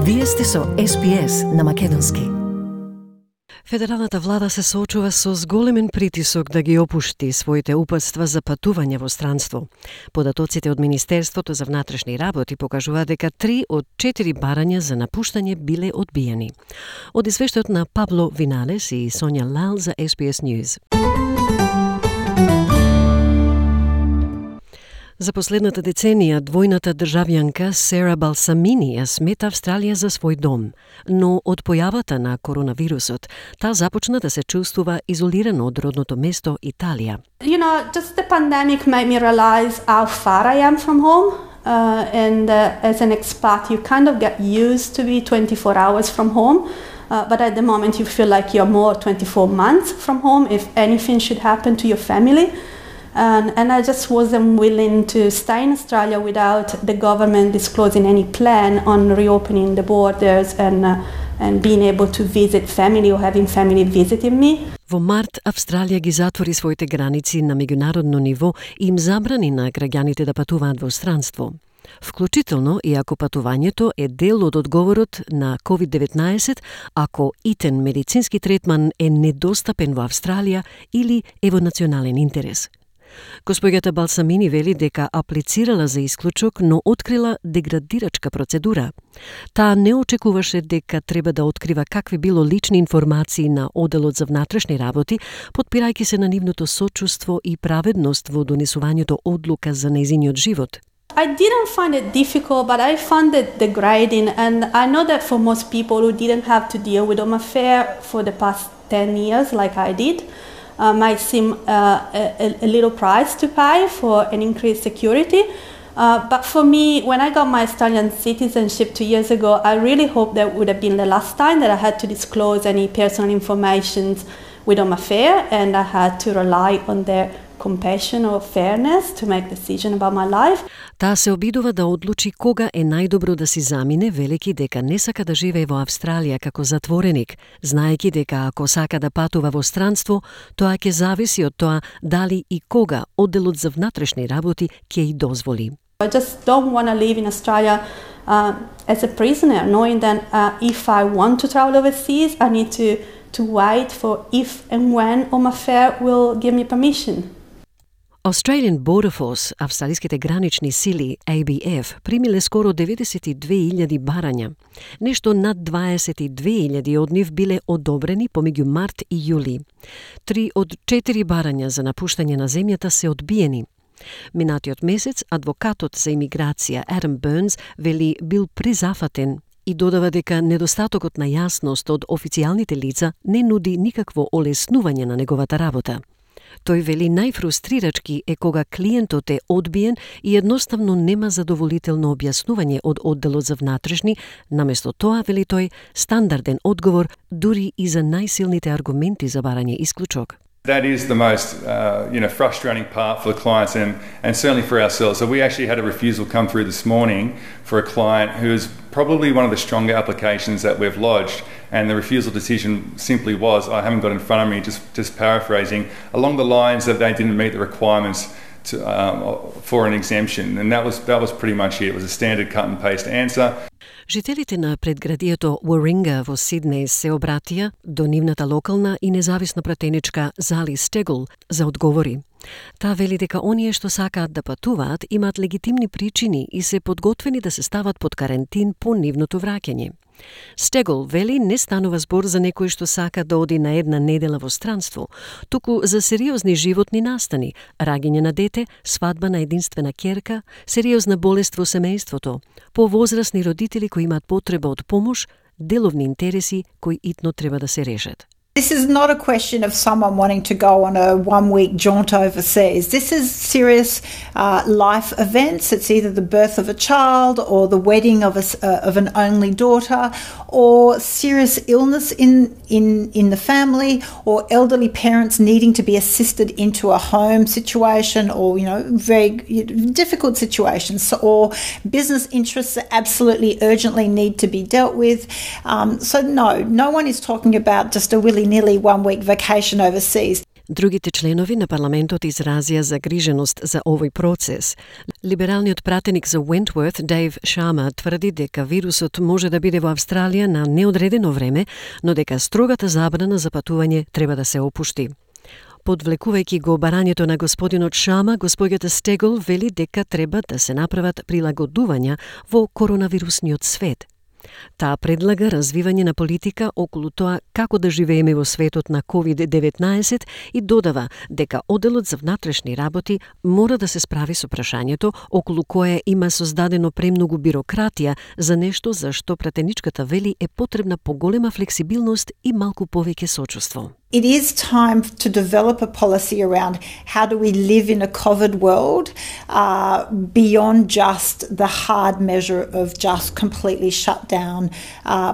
Вие сте со SPS на македонски. Федералната влада се соочува со зголемен притисок да ги опушти своите упатства за патување во странство. Податоците од Министерството за внатрешни работи покажуваат дека 3 од 4 барања за напуштање биле одбиени. Од извештајот на Пабло Виналес и Сонја Лал за SPS News. За последната деценија, двојната државјанка Сера Балсамини ја смета Австралија за свој дом, но од појавата на коронавирусот, таа започна да се чувствува изолирано од родното место Италија. Just the pandemic made me realize how far I am from home. As an expat, you kind of get used to be 24 hours from home. But at the moment, you feel like you're more 24 months from home if anything should happen to your family. And I just wasn't willing to stay in Australia without the government disclosing any plan on reopening the borders and being able to visit family or having family visiting me. Во март, Австралија ги затвори своите граници на меѓународно ниво и им забрани на граѓаните да патуваат во странство. Вклучително и ако патувањето е дел од одговорот на COVID-19, ако итен медицински третман е недостапен во Австралија или е во национален интерес. Госпоѓата Балсамини вели дека аплицирала за исклучок, но открила деградирачка процедура. Таа не очекуваше дека треба да открива какви било лични информации на Оделот за внатрешни работи, потпирајќи се на нивното сочувство и праведност во донесувањето одлука за нејзиниот живот. I didn't find it difficult, but I found it degrading, and I know that for most people who didn't have to deal with home affair for the past 10 years like I did, might seem a little price to pay for an increased security. But for me, when I got my Australian citizenship 2 years ago, I really hoped that would have been the last time that I had to disclose any personal information with home affair, and I had to rely on their compassion or fairness to make decision about my life. Таа се обидува да одлучи кога е најдобро да си замине, велики дека не сака да живее во Австралија како затвореник, знаејќи дека ако сака да патува во странство, тоа ќе зависи од тоа дали и кога Одделот за внатрешни работи ќе и дозволи. I just don't want to live in Australia as a prisoner, knowing that if I want to travel overseas, I need to wait for if and when Home Affairs will give me permission. Australian Border Force, австралиските гранични сили, ABF, примиле скоро 92.000 барања. Нешто над 22.000 од нив биле одобрени помеѓу март и јули. 3 од 4 барања за напуштање на земјата се одбиени. Минатиот месец, адвокатот за имиграција Адам Бернс вели бил презафатен и додава дека недостатокот на јасност од официјалните лица не нуди никакво олеснување на неговата работа. Тој вели најфрустрирачки е кога клиентот е одбиен и едноставно нема задоволително објаснување од Одделот за внатрешни, наместо тоа, вели тој, стандарден одговор дури и за најсилните аргументи за барање исклучок. That is the most frustrating part for the clients and certainly for ourselves. So we actually had a refusal come through this morning for a client who is probably one of the stronger applications that we've lodged, and the refusal decision simply was, I haven't got it in front of me, just paraphrasing, along the lines that they didn't meet the requirements for an exemption, and that was pretty much it. It was a standard cut and paste answer. Жителите на предградието Warringah во Сиднеј се обратија до нивната локална и независна пратеничка Зали Стегл за одговори. Таа вели дека оние што сакаат да патуваат имаат легитимни причини и се подготвени да се стават под карантин по нивното враќање. Стегл вели не станува збор за некој што сака да оди на една недела во странство, туку за сериозни животни настани, раѓање на дете, свадба на единствена ќерка, сериозна болест во семејството, повозрасни родители кои имаат потреба од помош, деловни интереси кои итно треба да се решат. This is not a question of someone wanting to go on a one-week jaunt overseas. This is serious life events. It's either the birth of a child or the wedding of an only daughter, or serious illness in the family, or elderly parents needing to be assisted into a home situation, or very difficult situations, or business interests that absolutely urgently need to be dealt with. So no one is talking about just a willy-nilly one-week vacation overseas. Другите членови на парламентот изразија загриженост за овој процес. Либералниот пратеник за Wentworth, Дейв Шарма, тврди дека вирусот може да биде во Австралија на неодредено време, но дека строгата забрана за патување треба да се опушти. Подвлекувајќи го барањето на господинот Шарма, господјата Стегол вели дека треба да се направат прилагодувања во коронавирусниот свет. Таа предлага развивање на политика околу тоа како да живееме во светот на COVID-19 и додава дека Оделот за внатрешни работи мора да се справи со прашањето околу кое има создадено премногу бирократија за нешто за што пратеничката вели е потребна поголема флексибилност и малку повеќе сочувство. It is time to develop a policy around how do we live in a COVID world beyond just the hard measure of just completely shut down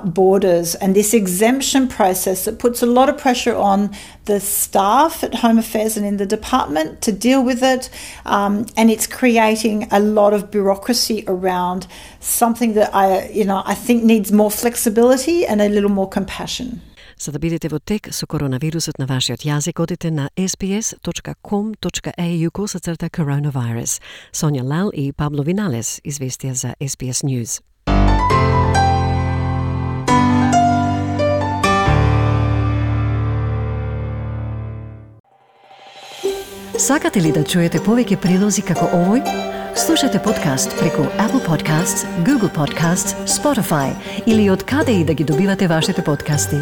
borders. And this exemption process that puts a lot of pressure on the staff at Home Affairs and in the department to deal with it. And it's creating a lot of bureaucracy around something that I think needs more flexibility and a little more compassion. За да бидете во тек со коронавирусот на вашиот јазик, одите на sbs.com.au/coronavirus. Сонја Лал и Пабло Виналес известија за SBS News. Сакате ли да чуете повеќе прилози како овој? Слушате подкаст преку Apple Podcasts, Google Podcasts, Spotify или од каде и да ги добивате вашите подкасти.